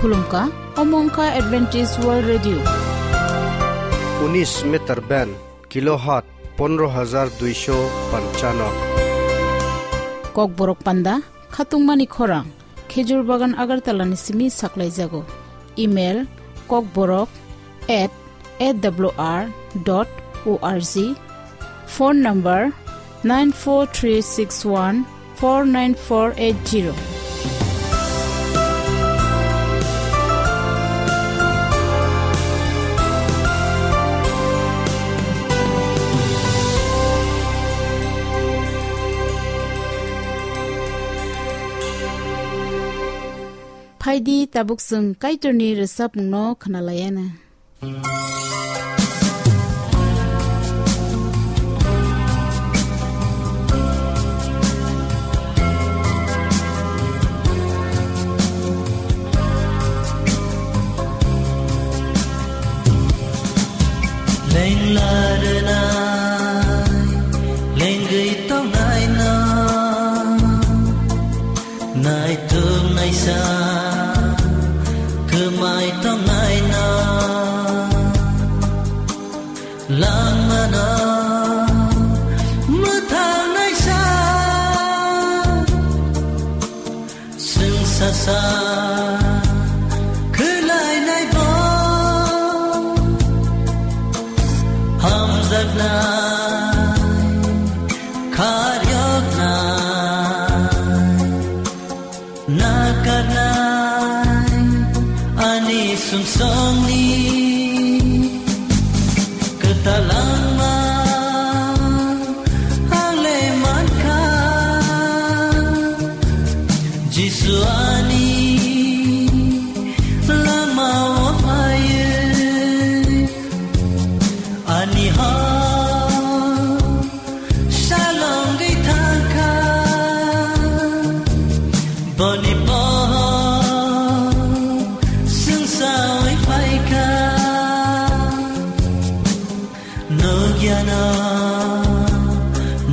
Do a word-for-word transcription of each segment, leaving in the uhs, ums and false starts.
Khulumkha, omo wngkha Adventist World Radio. Unis meter band, kilohertz pondro hajar duisho panchano. Kokborok panda, khatungmani khorang, Khejur Bagan Agartala ni simi saklaijago. Email, kokborok at A W R dot O R G. Phone number, nine four three six one four nine four eight zero. Phaidi, tabuk chwng Kaitorni rwchapmungno khwnalaiana. Lengla rwnai, lengwi tongnai no. Naituk naisa, kwmai tongnai no. Langmano mwthang naisa, swngsa sa khwlainai bo. Hamjaknai, kharyoknai, nakarnai ani sumsokni kwtal langma ang le mankha. Jisu ani langmao phaiwi ani hor salongwi thangkha, boni pohor swngsawi phaikha. Nukyano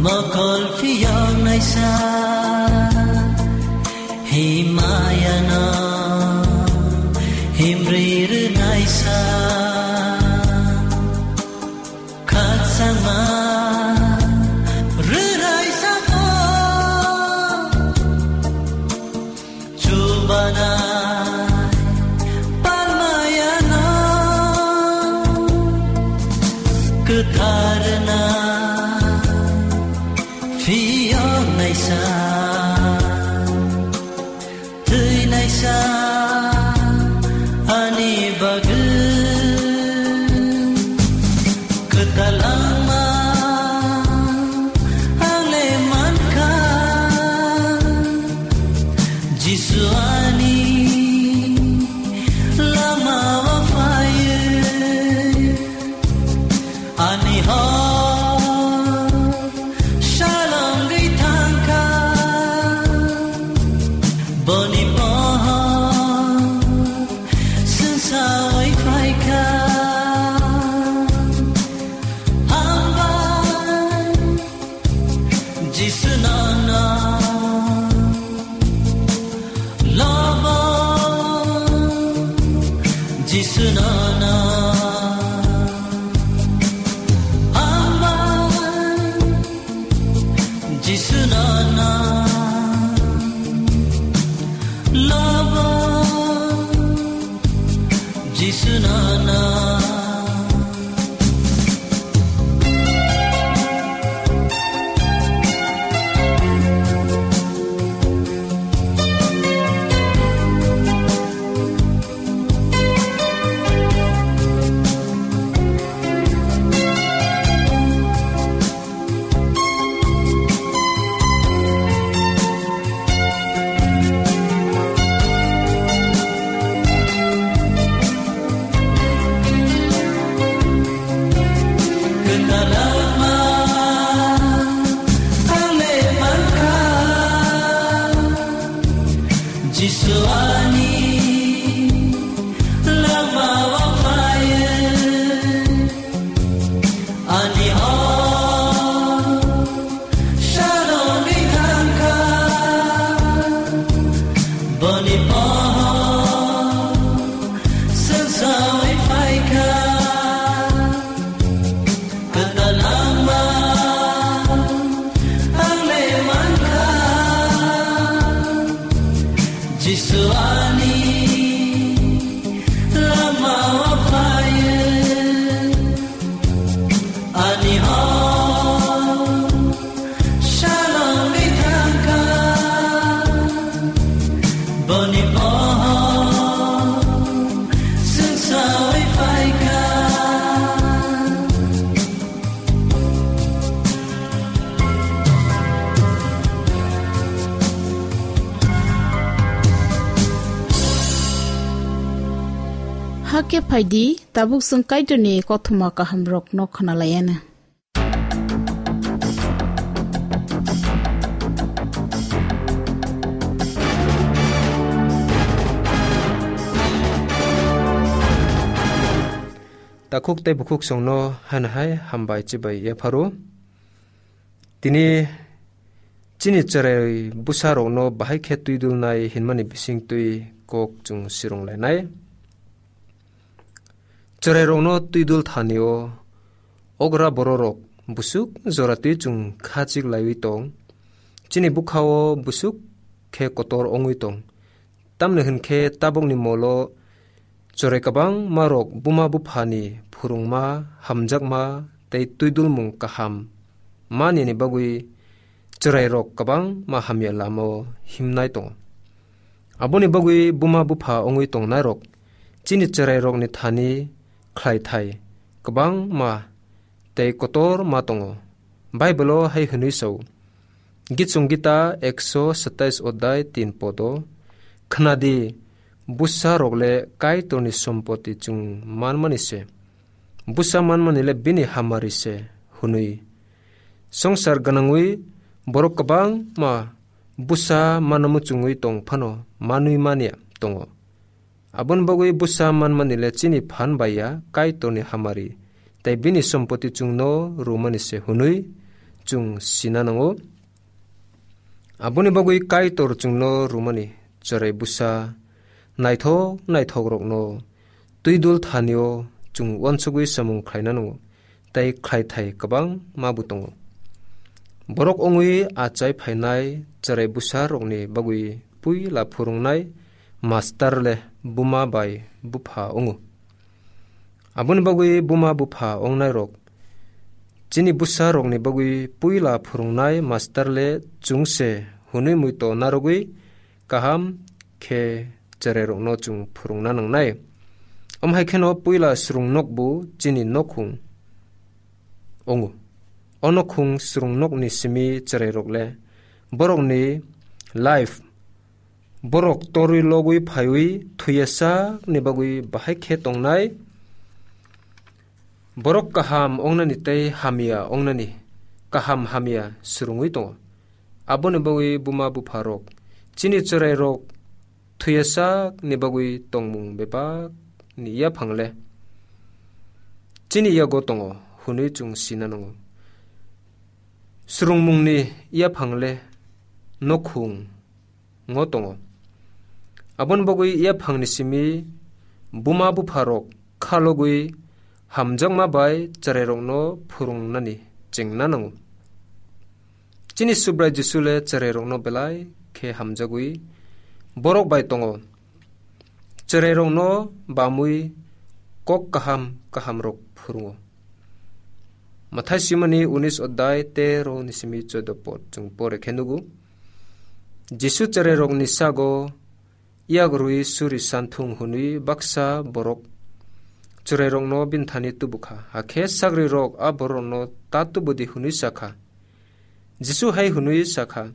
mokol phiyok naisa, himayano himri rwnaisa. Khakchangma rwrai sabo chubanai palmayano kwtharna phiyok naisa. Thwinaisa ani bagwi kwtal langma ang le mankha. Jisu ani lamao phaiwi ani hor salongwi thangkha, boni pohor swngsawi phaikha. Hambai Jisu nono lobo, Jisu nono hambai, Jisu nono lobo, Jisu nono. Hakhe phaidi, tabuk chwng Kaitorni kothoma kahamrokno khwnalaianw. Takhuk tei bukhuk songno haino hai hambai chibai yapharo. Tini chini chwrai bwsarokno bahai khe twidulnai hinmani bisingtwi kok chwng sirwnglainai. Chwrairokno twidul thani-o okra bororok busuk joratwi chwng khachik laiwi tong. Chini bwkha-o busuk khe kotor wngwi tong. Tamni hwn khe tabukni molo chwrai kwbangmarok buma buphani phwrwngma, hamjakma tei twidulmung kaham manini bagwi chwrairok kwbangma hamya lama-o himnai tongo. Aboni bagwi buma bupha wngwi tongnairok chini chwrairokni thani khlaithai kwbangma tei kotor ma tongo. Bible-o hai hwnwi sao, Gichung Gita ekso satais odai tin podo, "Khwnadi, bwsarok le Kaitorni sompoti chwng manmani se, bwsa manmani le bini hamari se," hwnwi. Songsar gwnangwi borok kwbangma bwsa mano muchungwi tong phano manwi manya tongo. Aboni bagwi bwsa manmani le chini phan bai ya Kaitorni hamari tei bini sompoti chwngno rwmani se hwnwi chwng sina nango. Aboni bagwi Kaitor chwngno rwmani chwrai bwsa naithok naithokrokno twidul thani-o chwng uansugwi samung khlaina nango. Tei khlaithai kwbangma bo tongo. Borok wngwi achai phainai chwrai bwsarokni bagwi puila phwrwngnai master le buma bai bupha wngo. Aboni bagwi buma bupha wngnairok chini bwsarokni bagwi puila phwrwngnai master le chwng se hwnwi muito narwgwi kaham khe chwrairokno chwng phwrwngna nangnai. Omo hai kheno puila swrwng nok bo chini nokhung wngo. O nokhung swrwng nokni simi chwrairok le borokni life, borok torwi logwi phaiwi thwiya sakni bagwi bahai khe tongnai. Borok kaham wngnani tei hamya wngnani kaham hamya swrwngwi tongo. Aboni bagwi buma bupharok chini chwrairok thwiya sakni bagwi tongmung bebakni yaphang le chini yago tongo hwnwi chwng sina nango. Swrwngmungni yaphang le nokhung ngo tongo. Aboni bagwi yaphangni simi buma bupharok khalogwi hamjakma bai chwrairokno phwrwngnani chengna nango. Chini Subrai Jisu le chwrairokno belai khe hamjagwi borok bai tongo. Chwrairokno bamwi kok kaham kahamrok phwrwngo. Mathai simani unis odai tero ni simi chodo pod chwng pore khe nugo. Jisu chwrairokni sago yak rwi suri santhung hwnwi baksa borok chwrairokno bini thani tubukha. Hakhe sagrirok a borokno ta tubudi hwnwi sakha. Jisu hai hwnwi sakha,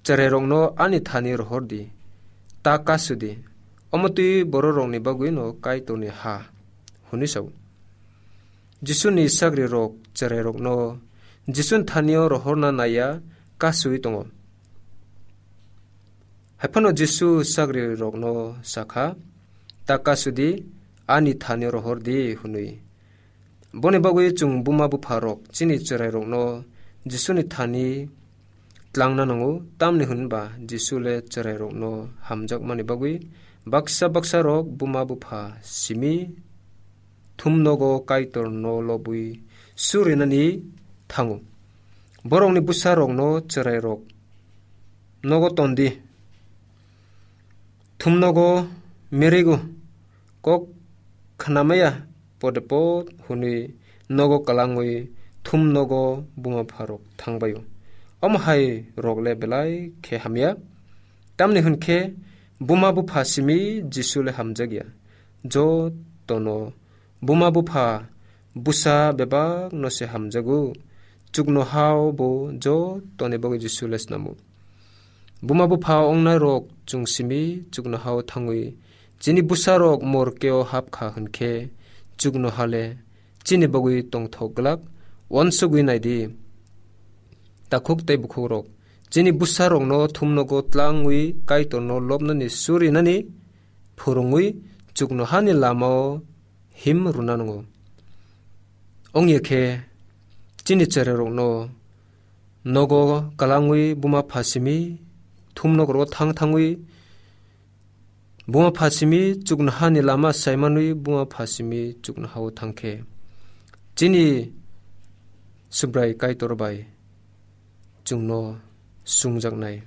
"Chwrairokno ani thani rohor di, ta kasu di, omo twi bororokni bagwino Kaitorni ha," hwnwi sao. Jisuni sagrirok chwrairokno Jisuni thanio rohorna naiya kasui tongo. Haiphano Jisu sagrirokno sakha, "Ta kasudi, ani thani rohor di," hwnwi. Boni bagwi chwng buma bupharok chini chwrairokno Jisuni thani tlangna nango, tamni hwnba Jisu le chwrairokno hamjakmani bagwi baksa baksarok buma bupha simi thumnogo Kaitorno lobwi surinani thango. Borokni bwsarokno chwrairok nogo tondi, thumnogo merego, kok khnamaya pode pod hwnwi nogo kwlangwi thumnogo buma bupharok thangbaio. Omo hai rok le belai khe hamya, tamni hwn khe buma bupha simi Jisu le hamjakya. Jotono buma bupha bwsa bebakno se hamjago, chuknohao bo jotoni bagwi Jisu le snamo. Buma bupha ongnairok chwng simi chuknohao thangwi Chini bwsarok morkeo hapkha hwnkhe chuknohale chini bagwi tongthok glak. Uansugwi naidi, takhuk tei bukhukrok, chini bwsarokno thumnogo tlangwi Kaitorno lobnani surinani phwrwngwi chuknohani lamao him rwna nango. Wngya khe chini cherairokno nogo kwlangwi buma pha simi thumnokrogo thang thangwi buma pha simi chuknohani lama saimanwi buma pha simi chuknohao thangkhe chini Subrai Kaitor bai chwngno sungjaknai,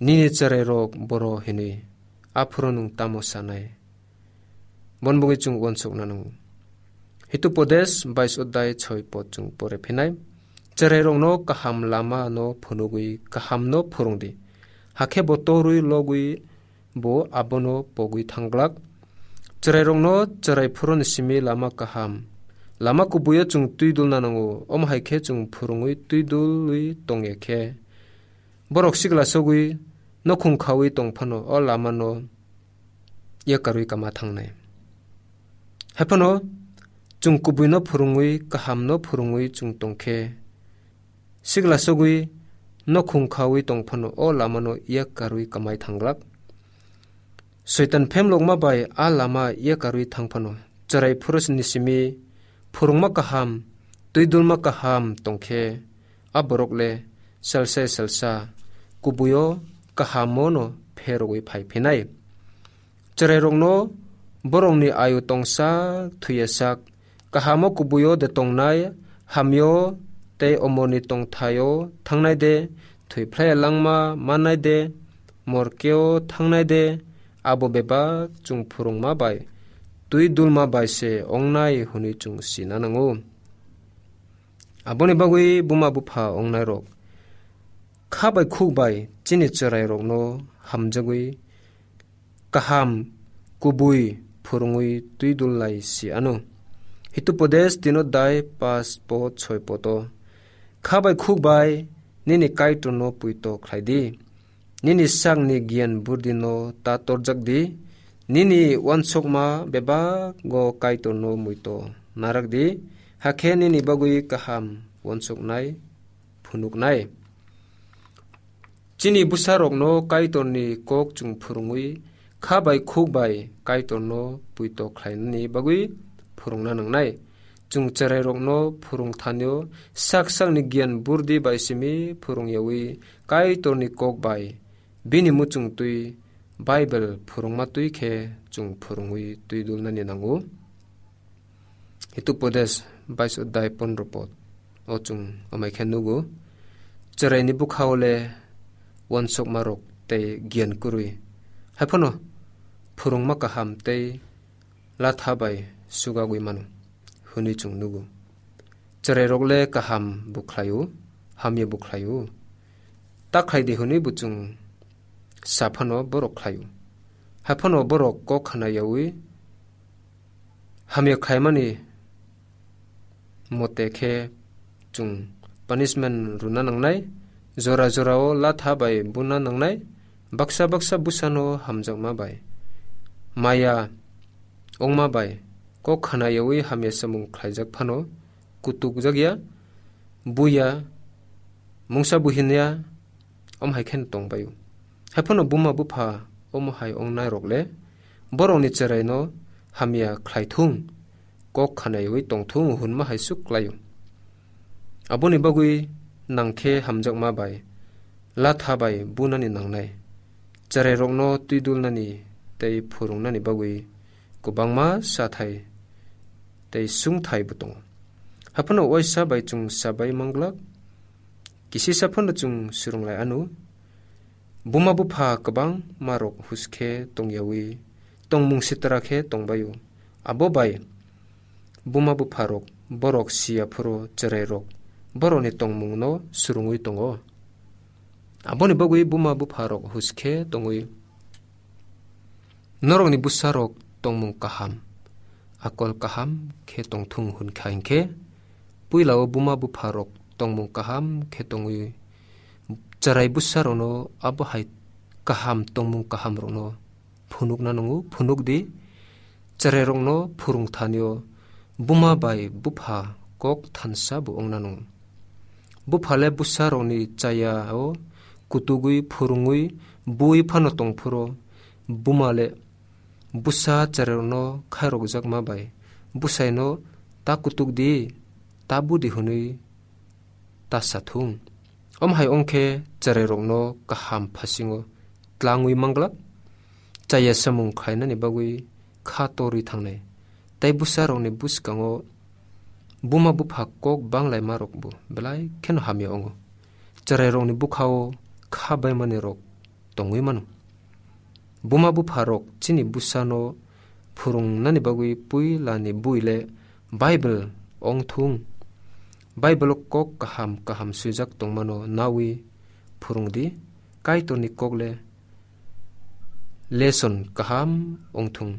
"Nini cherairok boro hinwi, aphuru nwng tamo sanai?" Bon bagwi chwng uansukna nango. Hitupodes bais odai soi pod chwng pore phinai. Cherairokno kaham lama no phunugwi kaham no phwrwng di. Hakhe bo torwi logwi bo abono pogwi thangglak. Cherairokno cherai phuruni simi lama kaham, lama kubuio chwng twi dulna nango. Omo hai khe chwng phwrwngwi twi dulwi tongya khe, borok sikla sogwi nokhung khaui tong phano o lamano yakarwi kama thangnai. Haiphano chwng kubuino phwrwngwi, kahamno phwrwngwi chwng tongkhe, sikla sogwi nokhung khaui tong phano o lamano yakarwi kamai thanglak. Soitan phemlokma bai a lama yakarwi thang phano, cherai phurusni simi phwrwngma kaham, twi dulma kaham tongkhe, a borok le salsai salsa kubuio kahamo no pherogwi phai phinai. Cherairokno borokni ayu tongsak thuyasak kahamo kubuio de tongnai, hamyo tei omorni tongthaio thangnai de, thwi phlai langma mannai de, morkeo thangnai de, abo bebak chwng phwrwngma bai twi dulma bai se ongnai hwnwi chwng sina nango. Aboni bagwi buma bupha ongnairok, kha bai khuk bai chini cherairokno hamjagwi kaham kubui phwrwngwi twi dul lai si ano. Hitupodes tino dai pas pod soi poto, kha bai khuk bai nini Kaitorno puito khlai di. Nini sakni giyan burdino ta torjak di. Nini uansukma bebago Kaitorno muito narak di. Hakhe nini bagwi kaham uansuknai phunuknai. Chini bwsarokno Kaitorni kok chwng phwrwngwi, kha bai khuk bai Kaitorno puito khlainani bagwi phwrwngna nangnai. Chwng cherairokno phwrwng thanio sak sakni giyan burdi bai simi phwrwng yaui Kaitorni kok bai bini muchung twi Bible phwrwngma twi khe chwng phwrwngwi twi dulnani nango. Hitupodes bais odai pondro pod o chwng amai khe nugo. Cheraini bwkhao le uansukmarok tei giyan kwrwi. Haiphano phwrwngma kaham tei latha bai sugagwi mano hwnwi chwng nugo. Cherairok le kaham bo khlaio, hamya bo khlaio. Ta khlai di hwnwi bo chwng sa phano borok khlaio. Haiphano borok kok khna yaui hamya khlaimani mote khe chwng punishment rwna nangnai. Jora jorao latha bai buna nangnai. Baksa baksa bwsano hamjakma bai, maya ongma bai kok khna yaui hamya samung khlaijak phano kutukjak ya, buya, mungsa buhin ya, om hai kheno tong bai-o. Haiphano buma bupha omo hai ongnairok le borokni cheraino hamya khlai thung, kok khna yaui tong thung hwnma hai suk klai-o. Aboni bagwi nang khe hamjakma bai latha bai bunani nangnai. Cherairokno twi dulnani tei phwrwngnani bagwi kwbangma sathai tei sungthai bo tongo. Haphano waisa bai chwng sabai manglak, kisisa phano chwng swrwng lai anw. Buma bupha kwbangma rok huskhe tong yaui tongmung sitra khe tong bai-o. Abo bai buma bupha rok borok siya phuru cherai rok borokni tongmung no swrwngwi tongo. Aboni bagwi buma bupha rok huskhe tongwi norokni bwsa rok tongmung kaham, akol kaham khe tongthung hwn kha hinkhe, puila o buma bupha rok tongmung kaham khe tongwi cherai bwsa rokno abo hai kaham tongmung kaham rokno phunukna nango, phunuk di. Chwrairokno phwrwng thani-o buma bai bupha kok thansa bo wngna nango. Bupha le bwsarokni chaya-o kutugwi phwrwngwi bui phano tong phuru, buma le bwsa chwrairokno khairokjakma bai bwsaino "Ta kutuk di, ta budi," hwnwi ta sa thung. Omo hai wng khe chwrairokno kaham phasingo tlangwi manglak, chaya samung khlainani bagwi kha torwi thangnai. Tei bwsarokni bwskango buma bupha kok banglaimarokbo belai kheno hamya wngo. Chwrairokni bwkha-o kha baimanirok tongwi mano. Buma bupharok chini bwsano phwrwngnani bagwi puilani bui le Bible wng thung. Bible-o kok kaham kaham swijak tongmano nawi phwrwng di. Kaitorni kok le lesson kaham wng thung.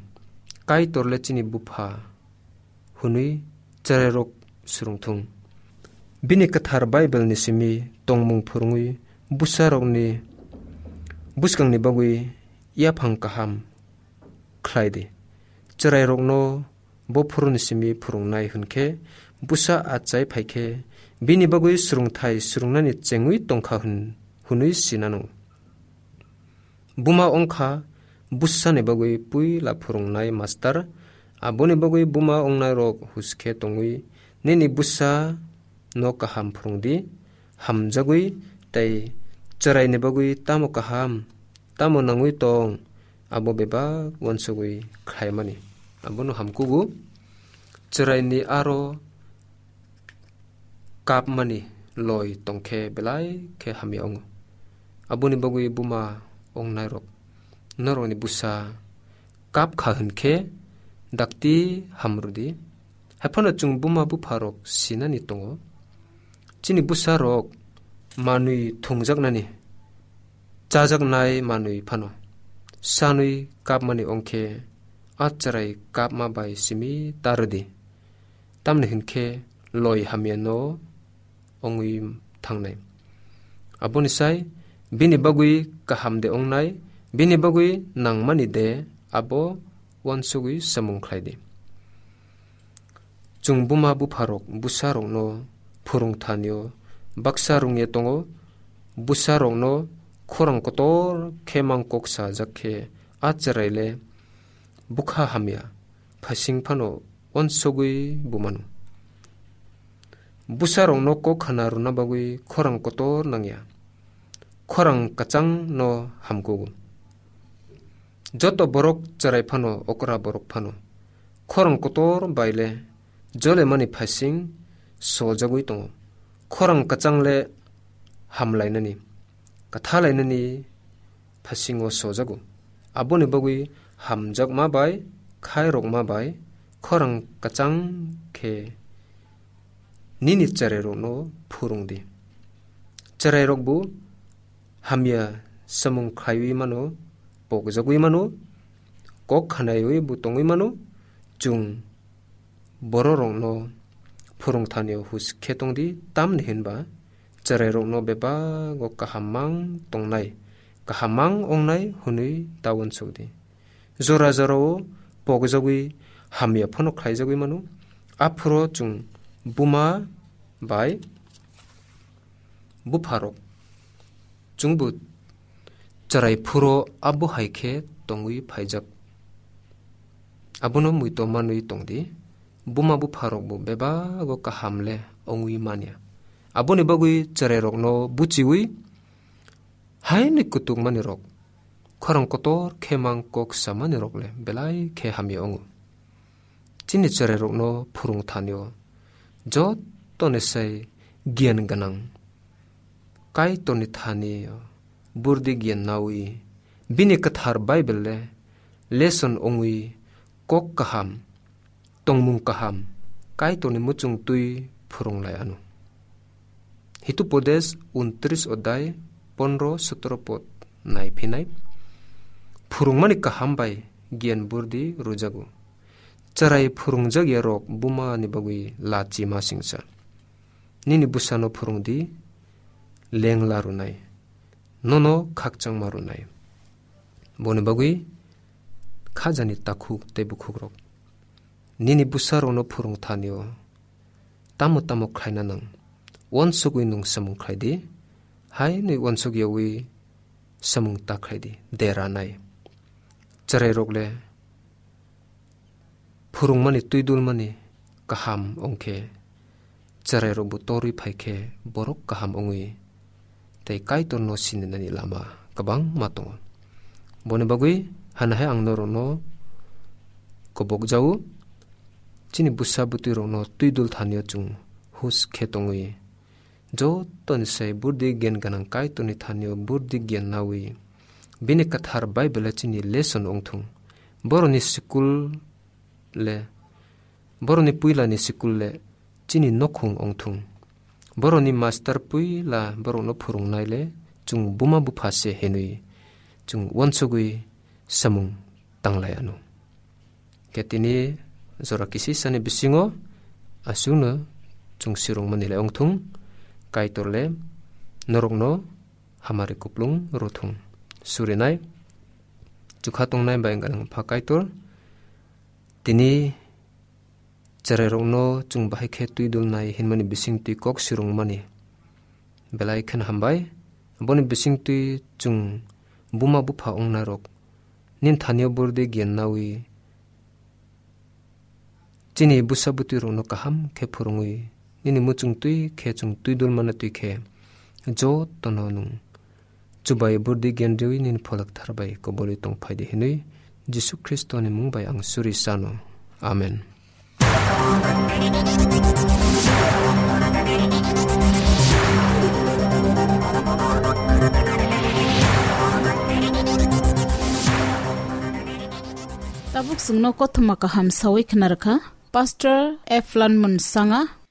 Kaitor le chini bupha hwnwi chwrairok swrwng thung. Bini kwthar Bible-ni simi tongmung phwrwngwi bwsarokni bwskangni bagwi yaphang kaham khlai di. Chwrairokno bo phuruni simi phwrwngnai hwn khe bwsa achai phai khe bini bagwi swrwngthai swrwngnani chengwi tong kha hwn-, hwnwi sinano. Buma wng kha bwsani bagwi puila phwrwngnai master. Aboni bagwi buma wngnairok hus khe tongwi nini bwsa no kaham phwrwng di, hamjagwi tei chwraini bagwi tamo kaham, tamo nangwi tong, abo bebak uansugwi khlaimani. Abono hamkugo, chwraini aro kapmani loi tongkhe belai khe hamya wngo. Aboni bagwi buma wngnairok norokni bwsa kap kha hwn khe dakti hamrwdi. Haiphano chwng buma bupharok sinani tongo. Chini bwsarok manwi thwngjaknani, chajaknai manwi phano sanwi kapmani wngkhe a chwrai kapma bai simi ta rwdi. Tamni hwn khe loi hamya no wngwi thangnai. Aboni sai bini bagwi kaham de wngnai, bini bagwi nangmani de, abo uansugwi samung khlai di. Chwng buma bupharok bwsarokno phwrwng thani-o baksa rwngya tongo. Bwsarokno khorang kotor khe mang kok sajak khe a chwrai le bwkha hamya phasing phano uansugwi bo mano. Bwsarokno kok khana rwna bagwi khorang kotor nangya, khorang kwchangno hamkugo. Joto borok chwrai phano, okra borok phano khorang kotor bai le jolemani phasing sojagwi tongo. Khorang kwchang le hamlainani, kwthalainani phasingo sojago. Aboni bagwi hamjakma bai, khairokma bai, khorang kwchang khe nini chwrairokno phwrwng di. Chwrairokbo hamya samung khlaiwi mano, pokjagwi mano, kok khanaiwi bo tongwi mano. Chwng bororokno phwrwng thani hus khe tong di, tamni hwn ba chwrairokno bebago kaham mang tongnai, kaham mang wngnai hwnwi ta uansuk di. Jora jorao pokjagwi hamya phano khlaijagwi mano. Aphuru chwng buma bai bupharok chwngbo chwrai phuru abo hai khe tongwi phaijak. Abono muitu manwi tong di, buma bupharokbo bebago kaham le wngwi manya. Aboni bagwi chwrairokno buchiwi haini kutukmanirok, khorang kotor khe mang kok samanirok le belai khe hamya wngo. Chini chwrairokno phwrwng thani-o jotoni sai giyan gwnang Kaitorni thani-o burdi giyan nawi bini kwthar Bible le lesson wngwi kok kaham, tongmung kaham Kaitorni muchung twi phwrwng lai anw. Hitupodes untris odai pondro sotro pod nai phinai. Phwrwngmani kaham bai giyan burdi rwjago. Chwrai phwrwngjak ya rok buma ni bagwi lachi ma singsa. Nini bwsano phwrwng di, lengla rwnai, nono khakchangma rwnai. Boni bagwi khajani takhuk tei bukhukrok. Nini bwsarokno phwrwng thani-o tamo tamo khlaina nang, uansugwi nwng samung khlai di, hai hwnwi uansuk yaui samung ta khlai di, dera nai. Chwrairok le phwrwngmani twi dulmani kaham wng khe, chwrairokbo torwi phai khe borok kaham wngwi tei Kaitorno sininani lama kwbangma tongo. Boni bagwi hana hai ang norokno kobok jao, chini bwsa bwtwirokno twi dul thani-o chwng hus khe tongwi, jotoni sai burdi gyan gwnang Kaitorni thani-o burdi gyan naui, bini kwthar Bible-o chini lesson wng thung. Borokni school le, borokni puilani school le chini nokhung wng thung. Borokni master puila borokno phwrwngnai le chwng buma bupha se hinwi chwng uansugwi samung tanglai anw. Khe tini jora kisisani bisingo aswkno chwng sirwngmani le wng thung, Kaitor le norokno hamari kuplung rw thung. Surinai chukha tongnai bai gwnang pha Kaitor, tini chwrairokno chwng bahai khe twi dulnai hinmani bisingtwi kok sirwngmani belai kheno hambai. Boni bisingtwi chwng buma bupha wngnairok nini thani-o burdi gyan naui, chini bwsa bwtwirokno kaham khe phwrwngwi, nini muchungtwi khe chwng twi dulmano twi khe, jotono nwng chubai burdi gyan riwi nini pholak thar bai kobolwi tong phai di hinwi Jisu Khristoni mung bai ang suri sano. Amen. Tabuk chwngno kothoma kaham sawi khna rwkha Pastor F Lanmon Sanga.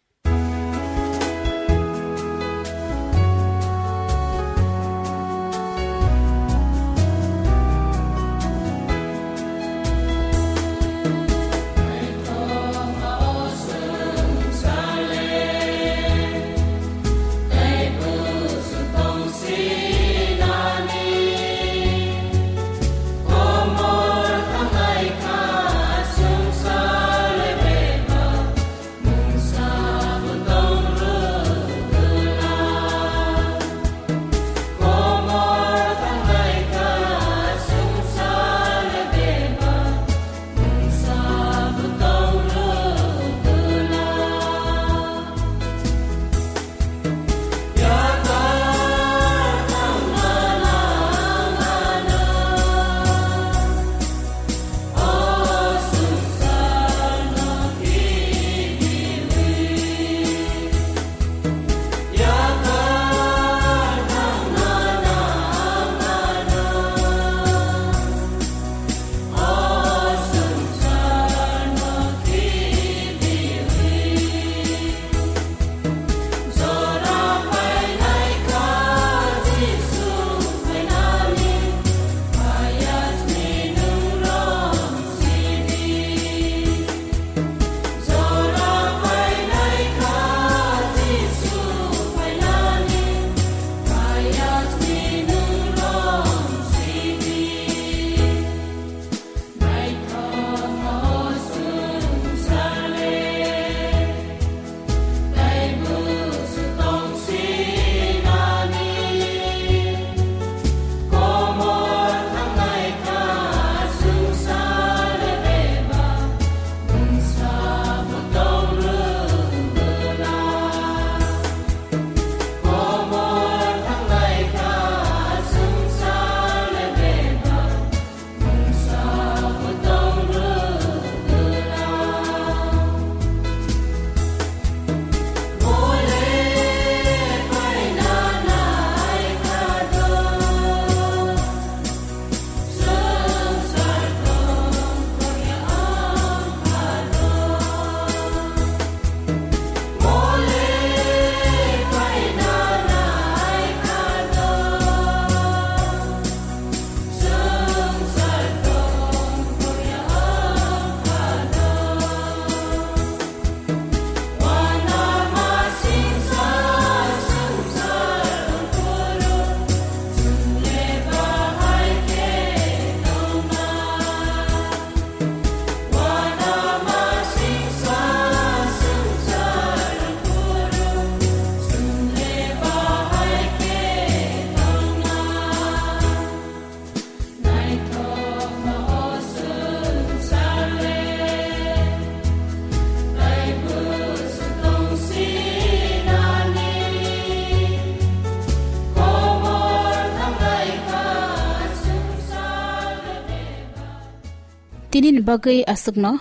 Tinini bagwi aswkno,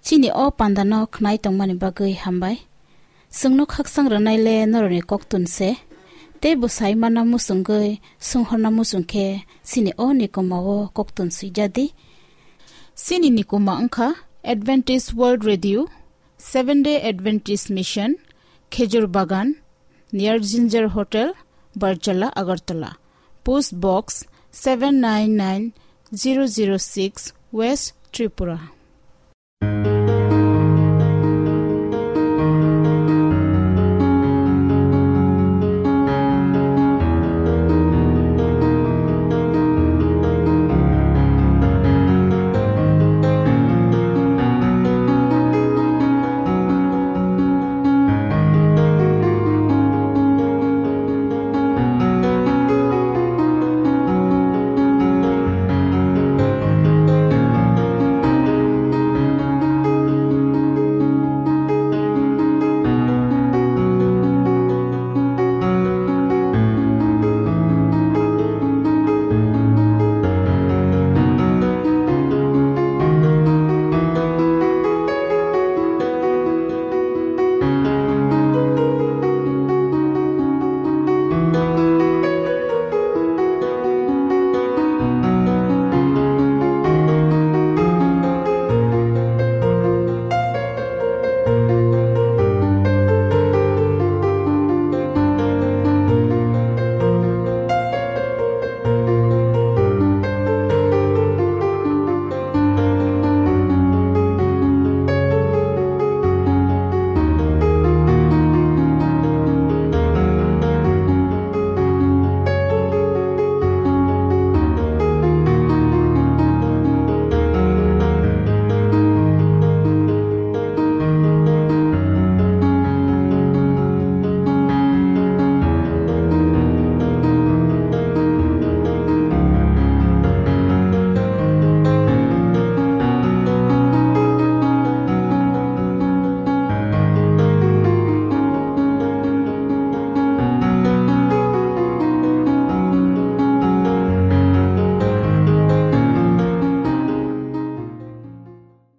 chini o pandano khnai tongmani bagwi hambai. Chwngno khaksang rwnaile norokni koktun se, tei bwsai mana muchungwi swnghorna muchung khe chini o nikoma o koktun swijadi. Chini nikoma wngkha Adventist World Radio, Seventh Day Adventist Mission, Khejur Bagan, near Ginger Hotel, Barjala, Agartala. Post Box seven nine nine zero zero six, West Tripura.